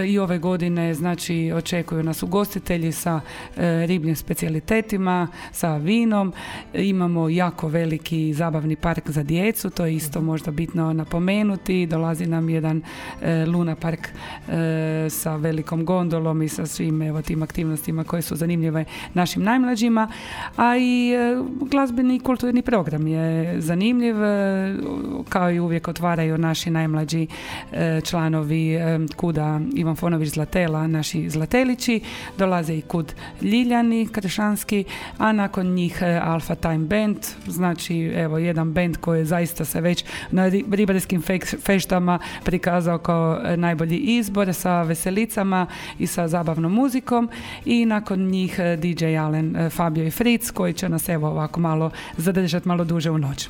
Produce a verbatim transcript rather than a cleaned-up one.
I ove godine znači očekuju nas ugostitelji sa e, ribljim specijalitetima, sa vinom. Imamo jako veliki zabavni park za djecu, to je isto možda bitno napomenuti. Dolazi nam jedan e, Luna park e, sa velikom gondolom i sa svim evo, tim aktivnostima koje su zanimljive našim najmlađima. A i e, glazbeni i kulturni program je zanimljiv, e, kao i uvijek otvaraju naši najmlađi e, članovi e, Kuda Ivan Fonović Zlatela, naši zlatelići, dolaze i Kud Ljiljani Kršanski, a nakon njih Alpha Time Band, znači evo jedan band koji zaista se već na ribarskim feštama prikazao kao najbolji izbor sa veselicama i sa zabavnom muzikom, i nakon njih D J Alen, Fabio i Fritz koji će nas evo ovako malo zadržati malo duže u noć.